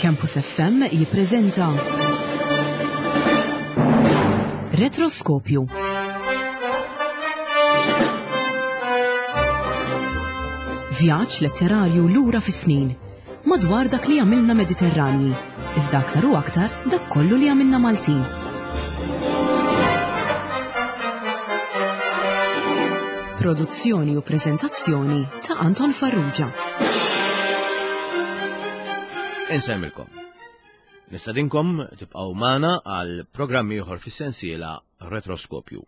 Campus FM jippreżenta Retroskopju. Vjaġġ letterarju lura fis-snin madwar dak li għamilna Mediterranji, iżda aktar u aktar dak kollu li għamilna Maltin. Produzzjoni u preżentazzjoni ta' Anton Farrugia. Insemmilkom. Nistadinkom tibqgħu magħna għal programm ieħor fis-sensiela Retroskopju.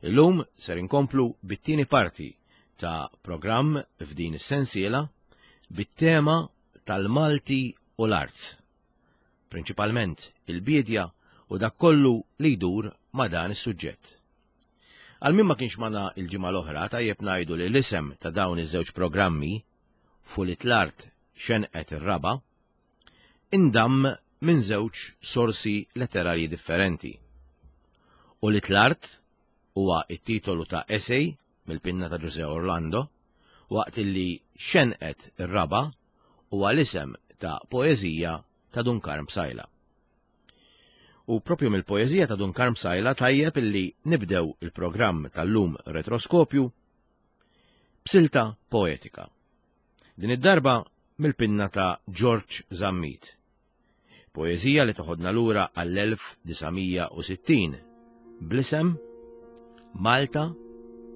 Illum ser inkomplu bit-tieni parti ta' programm f'din is-sensiela bit-tema tal-Malti u l-art. Prinċipalment il-biedja u dak kollu li jdur ma' dan is-suġġett. Għal min ma kienx magħna l-ġimgħa l-oħra tajjeb ngħidu li l-isem ta' dawn iż-żewġ programmi, Fulit l-art xenqet ir-raba', indamm minn żewġ sorsi letterarji differenti. Ulied l-art huwa t-titolu ta' essay mill-pinna ta' Ġużè Orlando, waqt illi Xenqet ir-raba' huwa l-isem ta' poeżija ta' Dun Karm Psaila. U propju mill-poeżija ta' Dun Karm Psaila tajjeb illi nibdew il-programm tal-lum Retroskopju b'silta poetika. Din id-darba mill-pinna ta' Ġorġ Zammit. Poeżija li toħodna lura għall-1960 bl-isem Malta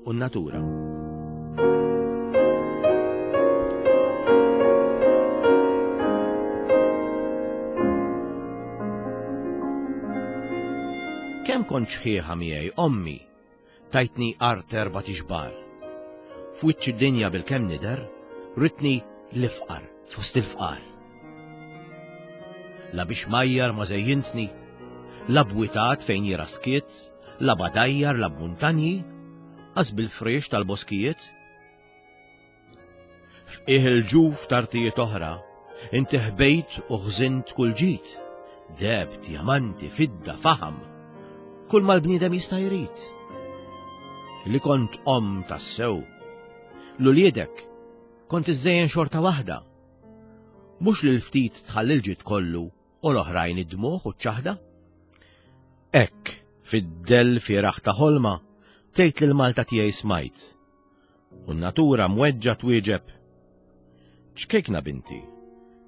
u n-Natura. Kemm kont xħieħa miegħi ommi tajtni art erba' tixbar. F'wiċċ id-dinja bil-kemm nidher, ritni l-ifqar fost il-fqar. La biex majjar ma żejjintni, la bwitat fejn jira skiet, la badajjar, la b'muntanji, qas bil-friex tal-boskijiet. F'qiegħ il-ġuf t'artijiet oħra, inti ħbejt u ħżint kull ġid, deheb, djamanti, fidda, faħam, kull ma l-bniedem jista' jrid. Li kont omm tassew, l-uliedek kont iżżejjen xorta waħda. Mhux lil ftit tħalli l-ġid kollu u l-oħrajn id-dmugħ u ċ-ċaħda. Hekk, fid-dell fieragħ ta' ħolma, tgħid lil Malta tiegħi smajt. U n-natura mweġġa' twieġeb, Ċkejkna binti,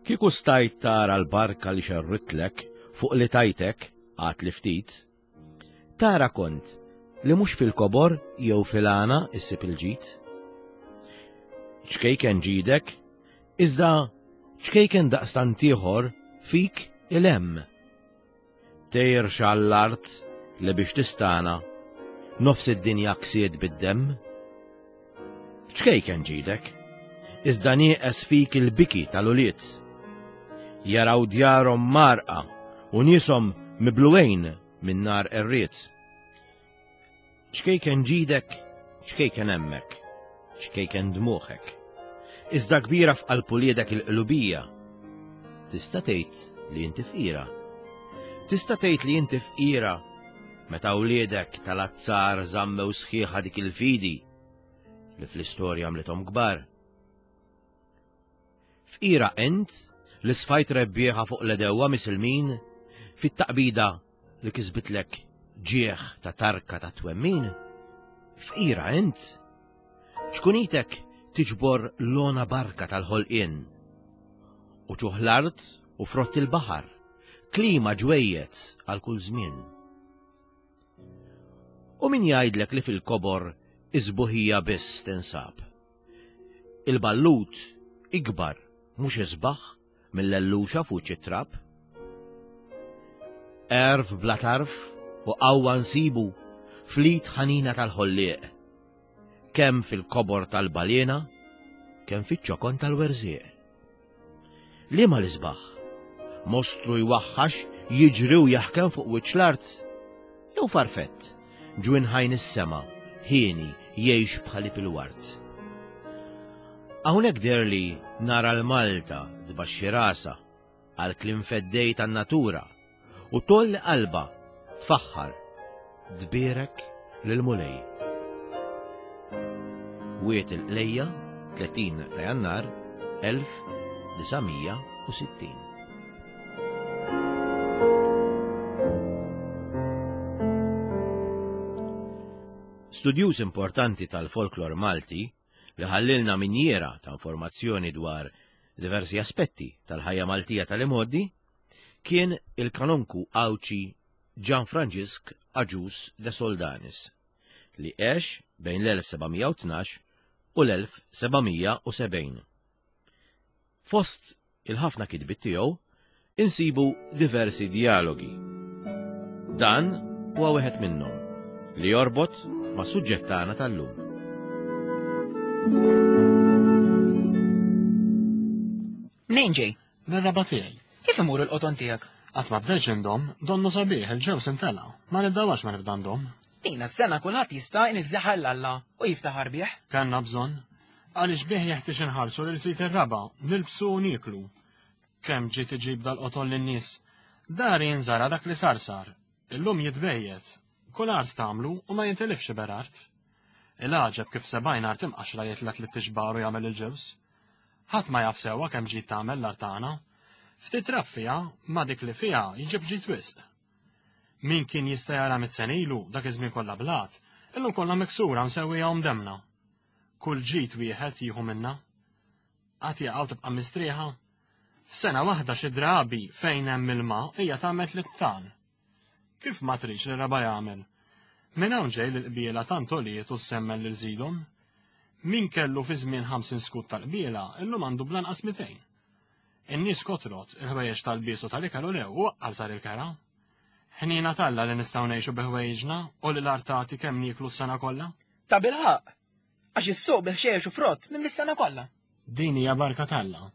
kieku stajt tara l-barka li xerritlek fuq li tajtek għad li ftit, tara kont li mhux fil-kobor jew fil-għana issib il-ġid. Ċkejken ġidek, iżda ċkejken daqstant ieħor fik il-hemm. Tgħirx għall-art li biex tistana nofs id-dinja ksiet bid-demm. Ċkejken ġidek, iżda nieqes fik il-biki tal-ulied. Jaraw djarhom mgħarrqa u nieshom mibluwejn minn nar qerried. Ċkejken ġidek, ċkejken hemmek, ċkejken dmugħek. Iżda kbira f'qalb uliedek il-qlubija. Tista' tgħid li inti fqira. Tista' tgħid li inti fqira meta wliedek tal-azzar żammew sħiħa dik il-fidi li fl-istorja għamlithom kbar. Fqira int li sfajt rebbieħa fuq l-edewwa misilmin fit-taqbida li kisbitlek ġieħ ta' tarka ta' twemmin? Fqira int? Ċkunitek tiġbor l-ona barka tal-ħolqien. U ċuħ l-art u frott il-baħar, klima ġwejjed għal kull żmien. U min jgħidlek li fil-kobor iż-sbuħija biss tinsab? Il-ballut ikbar mhux isbaħ mill-elluxa f'wiċċ it-trab. Għerf bla tarf u qawwa nsibu fl-id ħanina tal-Ħollieq, kemm fil-kobor tal-baliena, kemm fiċ-ċokon tal-werżieq. Liema l-isbaħ? Mostru jwaħħax jiġri u jaħkem fuq wiċċ l-art? Jew farfett, ġwinħajn is-sema, hieni jgħix bħalib il-ward? Hawnhekk deherli nara 'l Malta tbaxxi rasha għall-kliem feddej tan-natura u tgħolli qalbha tfaħħar, tbierek lill-Mulej. Wied il-Qlejja, 30 ta' Jannar 1960. Studjuż importanti tal-folklor Malti li ħallilna minjiera ta' informazzjoni dwar diversi aspetti tal-ħajja Maltija tal-imgħoddi kien il-kanonku Għawdxi Ġan Franġisk Agius de Soldanis li għex bejn l-1712 u l-1770. Fost il-ħafna kitbiet tiegħu insibu diversi djalogi. Dan huwa wieħed minnhom li jorbot ma' suġġett tagħna tal-lum. Mnejn ġej? Mir-raba' tiegħi. Kif imur il-qoton tiegħek? Qatt ma bdejtx indomm, donnu sabiħ, il-ġewż imtela'. Ma niddawarx ma nibda ndomm. Din is-sena kulħadd jista' jniżżaħ 'l Alla u jiftaħar bih. Kellna bżonn. Għaliex bih jeħtieġ inħarsu lil sid ir-raba', nilbsu u nieklu. Kemm ġiet iġib dal-qoton lin-nies. Dari jinżara' dak li sar sar. Illum jitbejjet. Kull art tagħmlu u ma jintilifx iber art. Il-għaġeb kif 70 art imqaxxra jitla' tlitt ixbar u jagħmel il-ġewż. Ħadd ma jaf sewwa kemm ġid tagħmel l-art tagħna. Ftit trab fiha, ma dik li fiha jġib ġid wisq. Min kien jista' jara mitt sena ilu, dak iż-żmien kollha blat, illum kollha miksura msewwija u mdemmna. Kull ġid wieħed jieħu minnha. Qatt jaqgħu tibqa' mistrieħa. F'sena waħda xi drabi fejn hemm ilma hija tagħmel tliet tan. Kif ma tridx li raba' jagħmel? Minn hawn ġej li l-qbiela tant għoliet u ssemmen lil żidhom. Min kellu fi żmien 50 skud tal-qbiela, illum għandu bl-anqas 200. In-nies kotrot, il-ħwejjeġ tal-lbies u tal-ikel u lew u aqqal sar il-kera. Ħniena t'Alla li nistgħu ngħixu bi ħwejjiġna u li l-art tagħti kemm nieklu s-sena kollha. Tabilħaqq! Għax is-suq bi ħxejjex u frott minn mis-sena kollha. Din hija barka t'Alla.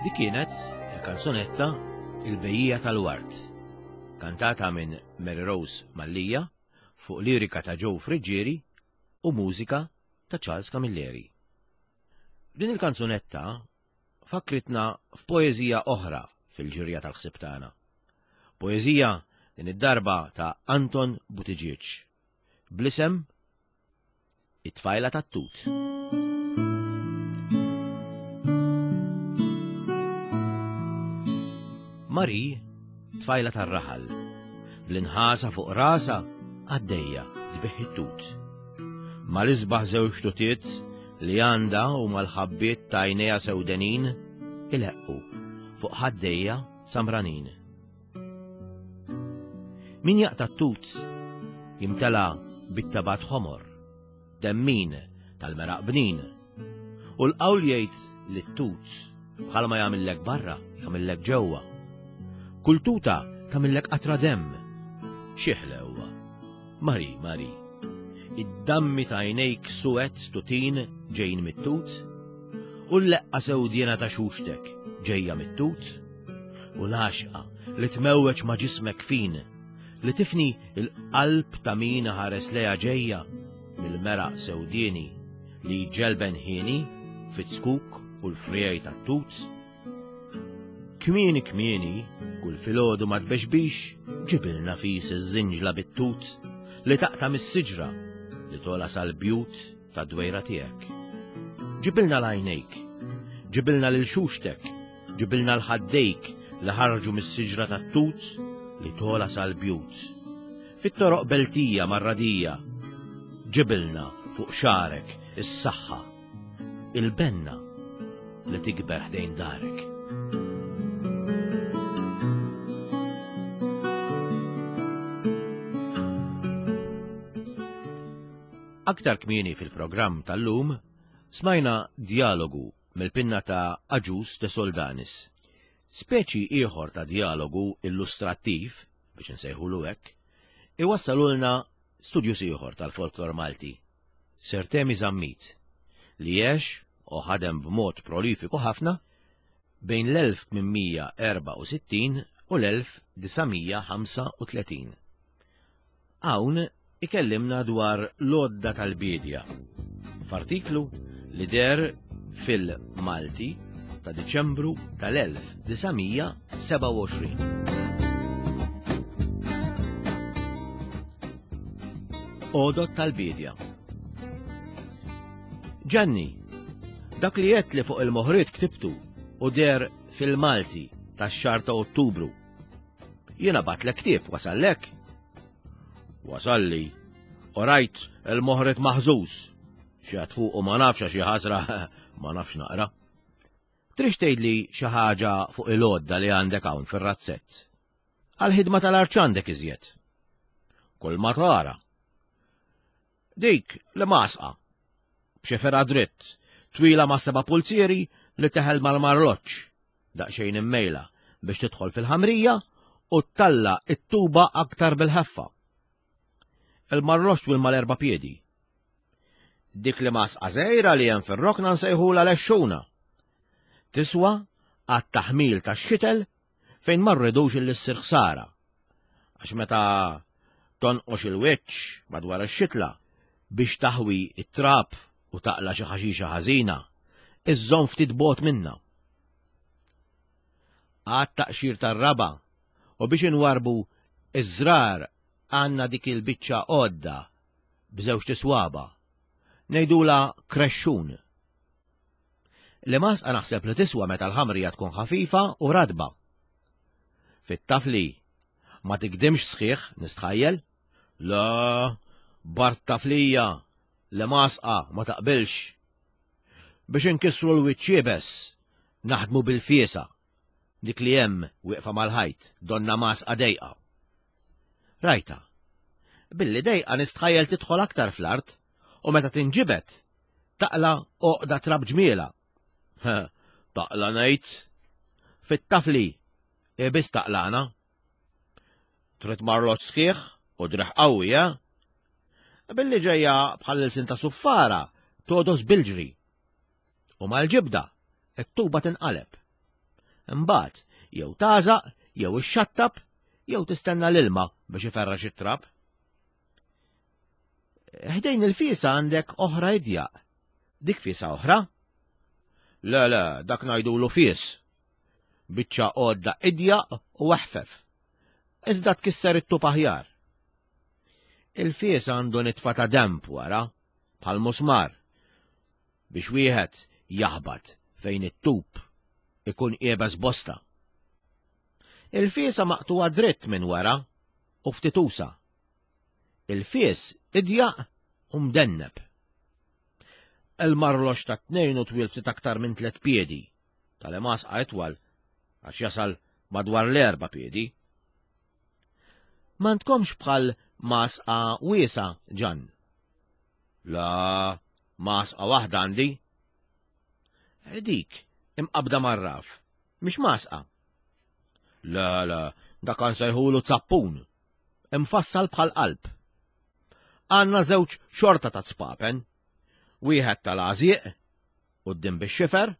Dik kienet il-kanzunetta Il-Bejjija tal-Ward, kantata minn Mary Rose Mallia fuq lirika ta' Joe Friggieri u mużika ta' Charles Camilleri. Din il-kanzunetta fakkritna f'poeżija oħra fil-ġirja tal-ħsieb tagħna. Poeżija din id-darba ta' Anton Buttigieg bl-isem It-tfajla tat-tut. Marie, tfajla tar-raħal, bl-inħasa fuq rasa għaddejja tbigħ it-tut. Mal-isbaħ żewġ tutiet li għandha u mal-ħabbiet ta' għajnejha sewdenin ileqqu fuq ħaddejja samranin. Min jaqta' t-tut jimtela bit-tabat ħomor, demmin tal-meraq bnin. U l-qawl jgħid li t-tut bħalma jagħmillek barra, jagħmillek ġewwa. Kull tuta tagħmillek qatra demm. Xi ħlewwa. Mari, Mari, id-dammi ta' għajnejk suwed tutin ġejjin mit-tut, u l-leqqa sewdiena ta' xuxtek ġejja mit-tut, u l-għaxqa li tmewweġ ma' ġismek fin, li tifni l-qalb ta' min ħares lejha ġejja mill-meraq sewdieni li jġelben ħieni fit-zkuk u l-friegħi tat-tut. Kmieni kmieni, kull filgħodu ma tbexbix, ġibilna fis iż-żinġla bit-tut li taqta' mis-siġra li tola sal-bjut tad-dwejra tiegħek. Ġibilna l-għajnejk, ġibilna lil xuxtek, ġibilna l-ħaddejk li ħarġu mis-siġra tat-tut li tola sal-bjut. Fit-toroq beltija marradija, ġibilna fuq xagħrek is-saħħa il-benna li tikber ħdejn darek. Aktar kmieni fil-programm tal-lum smajna djalogu mill-pinna ta' Agius de Soldanis. Speċi ieħor ta' djalogu illustrattiv, biex insejħulu hekk, iwassalulna studjuż ieħor tal-folklor Malti, Sir Temi Zammit, li għex u ħadem b'mod prolifiku ħafna bejn l-1864 u l-1935. Hawn ikellimna dwar l-għodda tal-biedja f'artiklu li deher fil-Malti ta' Diċembru tal-1927. Għodod tal-biedja. Ġanni, dak li għedt li fuq il-moħriet ktibtu u deher fil-Malti tax-xahar ta' Ottubru. Jiena batlek ktieb, wasallek? Wasalli, u rajt il-moħriet maħżuż. Xi fuq u ma nafx għax ħasra ma nafx naqra. Trix tgħidli xi ħaġa fuq il-għodda li għandek hawn fir-razzett? Għall-ħidma tal-art x'għandek iżjed? Kull ma tara. Dik li masqa. B'xi dritt, twila ma' seba' pulzieri li teħel mal-marloċ, daqsxejn immejla biex tidħol fil-ħamrija u ttalla it-tuba aktar bil-ħeffa. Il-marloċ twil mal-erba' piedi. Dik li masqa żgħira li hemm fir-rokna nsejħula lexxuna. Tiswa għat-taħmil tax-xitel fejn ma rridux illi ssir ħsara. Għax meta tonqox il-wiċċ madwar ix-xitla biex taħwi it-trab u taqla xi ħaxixa ħażina, iżżomm ftit bogħod minnha. Għad taqxir tar-raba u biex inwarbu iż-żrar għandna dik il-biċċa għodda b'żewġt iswaba. Ngħidulha krexxun. L-imgħasqa naħseb li tiswa meta l-ħamrija tkun ħafifa u ratba. Fit-tafli ma tigdimx sħiħ nistħajjel? La, bart taflija, l-imgħasqa ma taqbilx. Biex inkissru l-wiċċ iebes, naħdmu bil-fiesa, dik li hemm wieqfa mal-ħajt, donna mgħasqa dejqa. Rajta. Billi dejqa nistħajjel tidħol aktar fl-art u meta tinġibed Taqla għoqda trab ġmiela. Taqla ngħid. Fit-tafli, ibis taqlana. Trid marloċ sħiħ u driħ qawwi, eh? Billi ġejja bħal ilsin ta' suffara, todos bil-ġri. U mal-ġibda, it-tuba tinqaleb. Imbagħad jew tagħżaq, jew ixxattab, jew tistenna l-ilma biex iferrax it-trab. Ħdejn il-fiesa għandek oħra idjaq. Dik fiesa oħra? Le, le, dak ngħidulu fies. Biċċa għodda idjaq u eħfef. Iżda tkisser it-tub aħjar. Il-fies għandu nitfa ta' demp wara, bħal musmar, biex wieħed jaħbat fejn it-tub ikun qiebes bosta. Il-fiesa maqtuwa dritt minn wara u ftit usa. Il-fies idjaq u mdenneb. Il-marlox ta' tnejn u twil ftit aktar minn tlet piedi, tal-emasqa itwal għax jasal madwar l-erba' piedi. M'għandkomx bħal masqa wiesa, Ġann? La, masqa waħda għandi. Dik, imqabda mar-raf, mhix masqa. La, la, dak nsejħulu zappun, imfassal bħal qalb. Għandna żewġ xorta ta' spapen, wieħed tal-għażieq, quddiem bix-xifer,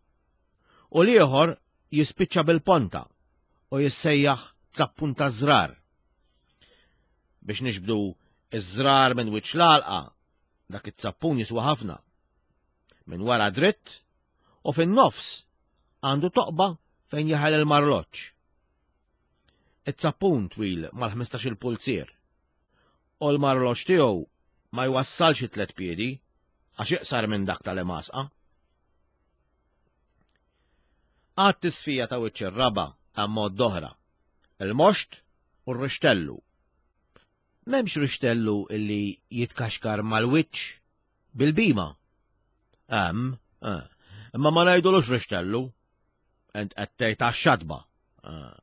u l-ieħor jispiċċa bil-ponta u jissejjaħ zappun taż-żrar. Biex nixbdu iż-żrar minn wiċċ l-għalqa, dak it-zappun jiswa ħafna. Minn wara dritt u fin-nofs għandu toqba fejn jeħel il-marloċ. It-zappun twil mal-15 pulzier u l-marloċ tiegħu ma jwassalx it-tlet piedi għax iqsar minn dak tal-emasqa. Għad tisfija ta' wiċċ ir-raba' hemm mod oħra, il-moxt u r-rixtellu. M'hemmx rixtellu illi jitkaxkar mal-wiċċ bil-bima. Hemm, eh, imma ma ngħidulux rixtellu. Ent qed tgħid għax-xatba. Eh.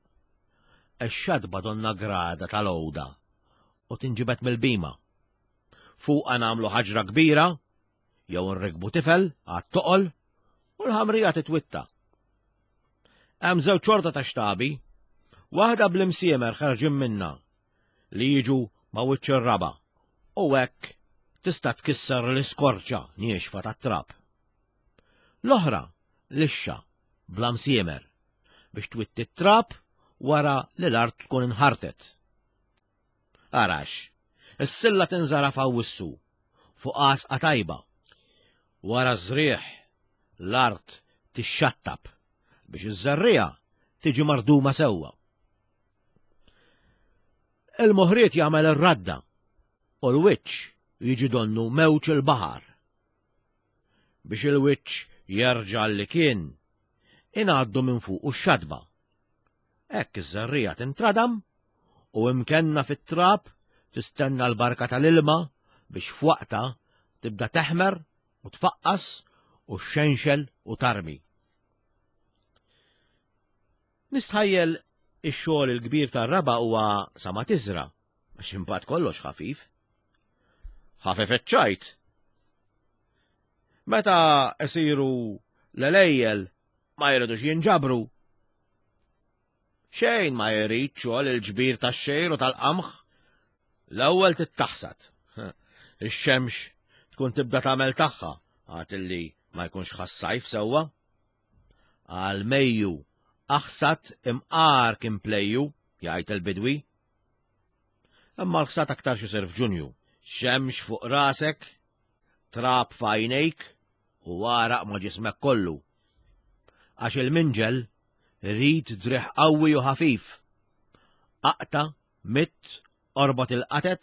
Ix-xatba donna grada tal-għoda u tinġibed mill-bima. Fuqha nagħmlu ħaġra kbira jew nrikbu tifel għat-toqol u l-ħamrija titwitta. Hemm żewġ xorta ta' xtabi, waħda bl-imsiemer ħarġin minna li jiġu ma' wiċċ ir-raba' u hekk tista' tkisser l-iskorċa niexfa tat-trab. L-oħra lixxa bla msiemer biex twitti t-trab wara li l-art tkun inħartet. Arax, is-silla tinżara f'Awwissu fuq għasqa tajba. Wara ż-żrigħ, l-art tixxattab biex iż-żerriegħa tiġi marduma sewwa. Il-moħriet jagħmel ir-radda u l-wiċċ jiġi donnu mewġ il-baħar. Biex il-wiċċ jerġa' li kien, ingħaddu minn fuqu x-xatba. Hekk iż-żerriegħa tintradam u imkenna fit-trab tistenna l-barka tal-ilma biex f'waqtha tibda teħmer u tfaqqas u xxenxel u tarmi. Nistħajjel ix-xogħol il-kbir tar-raba' huwa sa ma tiżra' għax imbagħad kollox ħafif. Ħafef iċ-ċajt. Meta isiru l-għelejjel ma jridux jinġabru. Xejn ma jrid xogħol il-ġbir tax-xejr u tal-qamħ. L-ewwel tittaħsad. Ix-xemx tkun tibda tagħmel tagħha għad illi ma jkunx ħassajf sewwa. Għal Mejju aħsad imqar kien plejju, jgħid il-bidwi. Imma l-ħsad aktar xisir f'Ġunju. Xemx fuq rasek, trab f'għajnejk u għaraq ma' ġismek kollu. Għax il-minġel Rid driegħ qawwi u ħafif. Aqta', mitt, orbot il-qatet,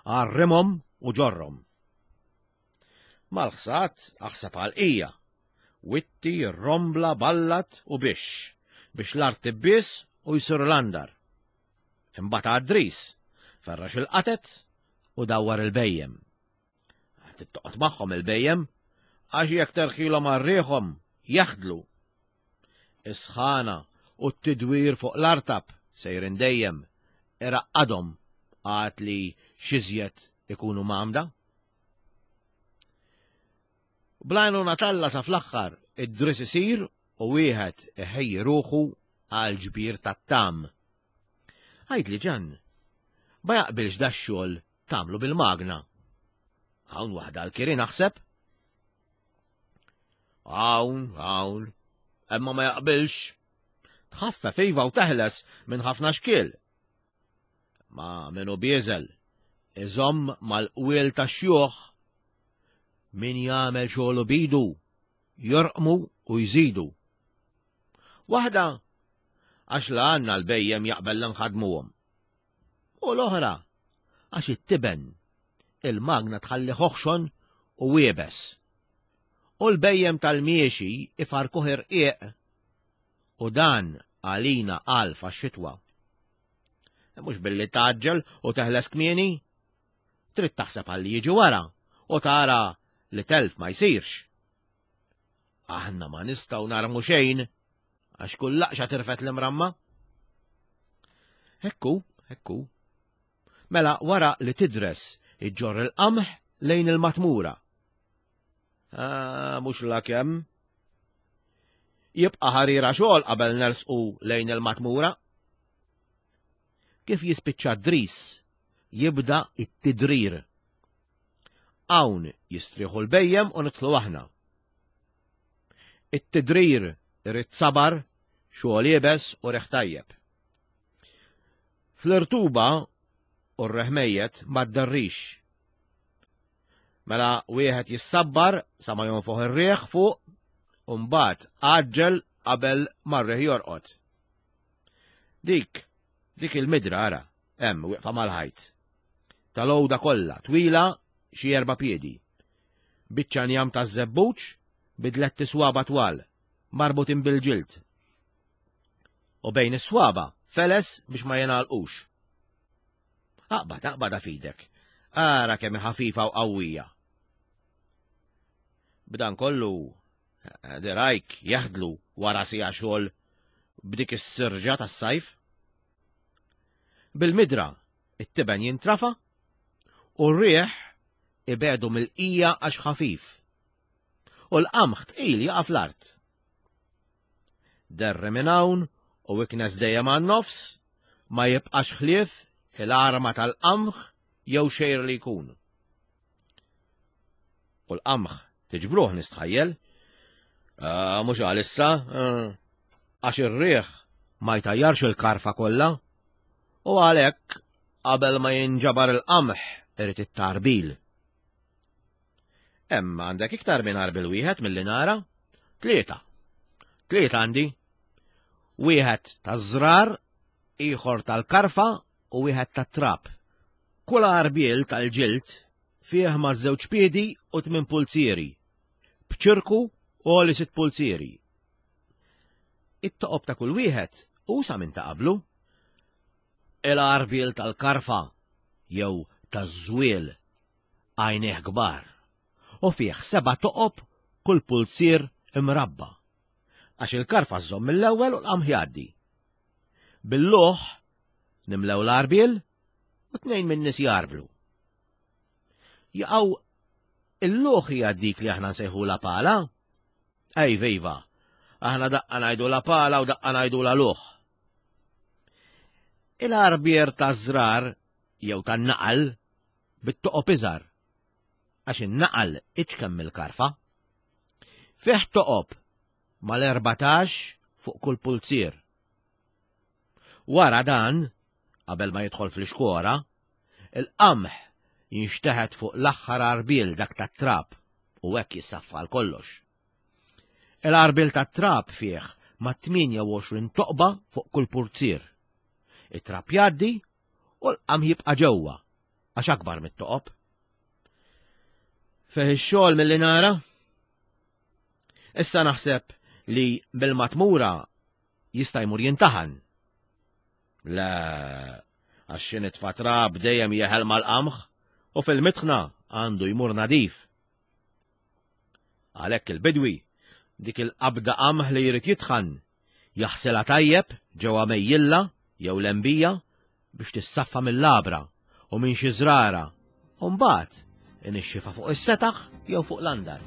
għarrimhom u ġorrhom. Mal-ħsad aħseb għal qija. Witti, rombla, ballat u bix biex l-art tibbies u jsir l-andar. Imbagħad għad-dris, ferrax il-qatet u dawwar il-bhejjem. Tittoqgħod magħhom il-bhejjem għax jekk terħilhom għal riħhom jaħdlu. Is-sħana u t-tidwir fuq l-artab sejrin dejjem iraqqadhom għad li x'iżjed ikunu mgħammda. Bl-għajnuna t'Alla sa fl-aħħar id-dris isir u wieħed iħejji ruħu għall-ġbir tat-tgħam. Għidli Ġann, ma jaqbilx dax-xogħol tagħmlu bil-magna? Hawn waħda għall-kiri naħseb? Hawn, hawn, imma ma jaqbilx. Tħaffef iva u teħles minn ħafna xkiel. Ma min hu bieżel, iżomm mal-qwiel tax-xjuħ. Min jagħmel xogħlu b'idu, jorqmu u jżidu. Waħda, għax la għandna l-bhejjem jaqbel li nħaddmuhom. U l-oħra, għax it-tiben, il-magna tħallih oħxon u iebes. U l-bhejjem tal-miexi ifarkuh irqiq u dan għalina għalf għax-xitwa. Mhux billi tgħaġġel u teħles kmieni. Trid taħseb għal li jiġi wara u tara li telf ma jsirx. Aħna ma nistgħu narmu xejn għax kull laqxa tirfet l-imramma. Hekku, hekku. Mela wara li tidres iġġorr il-qamħ lejn il-matmura. Ah, mhux la kemm. Jibqa' ħarira xogħol qabel nersqu lejn il-matmura. Kif jispiċċa d-dris, jibda it-tidrir. Hawn jistrieħu l-bejjem u nidħlu aħna. It-tidrir irid sabar, xogħol iebes u riħ tajjeb. Fl-irtuba u r-reħ mejjet ma ddarrix. Mela wieħed jissabbar sa ma jonfoħ ir-riħ fuq u mbagħad għaġġel qabel ma r-riħ jorqod. Dik, dik il-midra ara, hemm wieqfa mal-ħajt. Tal-għoda kollha, twila xi erba' piedi. Biċċa njam taż-żebbuġ bi dlett iswaba twal, marbutin bil-ġild. U bejn is-swaba feles biex ma jingħalqux. Aqbad, aqbadha f'idek. Ara kemm hi ħafifa u qawwija. B'dan kollu, dirajk jaħdlu wara siegħa xogħol b'dik is-sirġa tas-sajf. Bil-midra, it-tiben jintrafa u r-riħ ibedu mill-qija għax ħafif. U l-qamħ tqil jaqa' fl-art. Derri minn hawn u iknes dejjem għan-nofs, ma jibqax ħlief il-arma tal-qamħ jew xejr li jkun. U l-qamħ tiġbruh nistħajjel. Ah, mhux għalissa, ah, għax ir-riħ ma jtajjarx il-karfa kollha. U għalhekk qabel ma jinġabar il-qamħ irid it-tarbil. Hemm għandek iktar minn għarbil wieħed milli nara? Tlieta. Tlieta għandi. Wieħed taż-żrar, ieħor tal-karfa u wieħed tat-trab. Kull għarbiel tal-ġild fih ma' żewġ piedi u tmien pulzieri, b'ċirku għoli sitt pulzieri. It-toqob ta' kull wieħed usa minn ta' qablu. Il-għarbiel tal-karfa jew taż-żwiel għajnejh kbar, u fih seba' toqob kull pulzier imrabba', għax il-karfa żżomm mill-ewwel u l-qamħ jgħaddi. Bil-luħ nimlew l-għarbiel u tnejn min-nies jgħarblu. Jaqgħu il-luħ hija dik li aħna nsejħulha pala? Ejva, iva, aħna daqqa ngħidulha pala u daqqa ngħidulha luħ. Il-għarbier taż-żrar jew tan-naqal bit-toqob iżgħar, għax in-naqal iċken mill-karfa. Fih toqob mal-erbatax fuq kull pulzier. Wara dan, qabel ma jidħol fl-ixkora, il-qamħ jinxteħet fuq l-aħħar għarbiel dak tat-trab u hekk jissaffa għal kollox. Il-għarbiel tat-trab fih ma' 28 toqba fuq kull purzier. It-trab jgħaddi u l-qamħ jibqa' ġewwa għax akbar mit-toqob. Fih ix-xogħol milli nara? Issa naħseb li bil-matmura jista' jmur jintaħan. Le, għax xi nitfa' trab dejjem jeħel mal-qamħ u fil-mitħna għandu jmur nadif. Għalhekk il-bidwi dik il-qabda qamħ li jrid jitħan jaħsilha tajjeb ġewwa mejjilla jew lembija biex tissaffa mill-għabra u minn xi żrara u mbagħad inixxifha fuq is-setaħ jew fuq l-andar.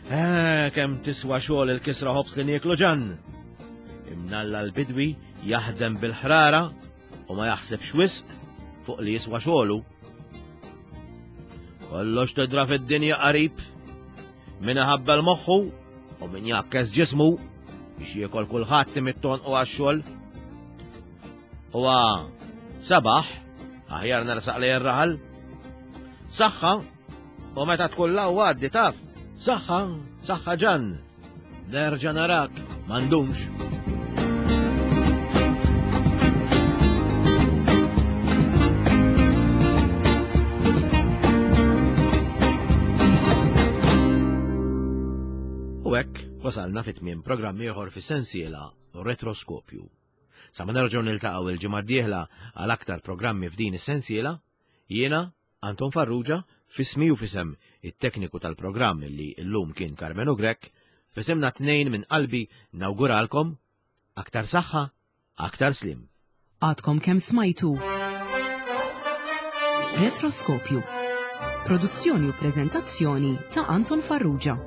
Eh, kemm tiswa xogħol il-kisra ħobs li nieklu ġan! Imnalla l-bidwi jaħdem bil-ħrara u ma jaħsibx wisq fuq li jiswa xogħlu. Kollox tidra fid-dinja qarib, min iħabbel moħħu u min jakkes ġismu. Biex jiekol kulħadd imidd tonqu għax-xogħol. Huwa sabaħ, aħjar nersaq lejn ir-raħal. Saħħa, u meta tkun law għaddi taf. Saħħa, saħħa ġan. Nerġa' narak, m'għandux. U hekk wasalna fit tmiem programm ieħor fis-sensiela Retroskopju. Sa ma nerġgħu niltaqgħu il-ġimgħa d-dieħla għal aktar programmi f'din is-sensiela, jiena Anton Farrugia, f'ismi u f'isem it-tekniku tal-programm li llum kien Karmenu Grech, f'isimna t-tnejn minn qalbi nawguralkom aktar saħħa, aktar sliem. Għadkom kemm smajtu Retroskopju. Produzzjoni u preżentazzjoni ta' Anton Farrugia.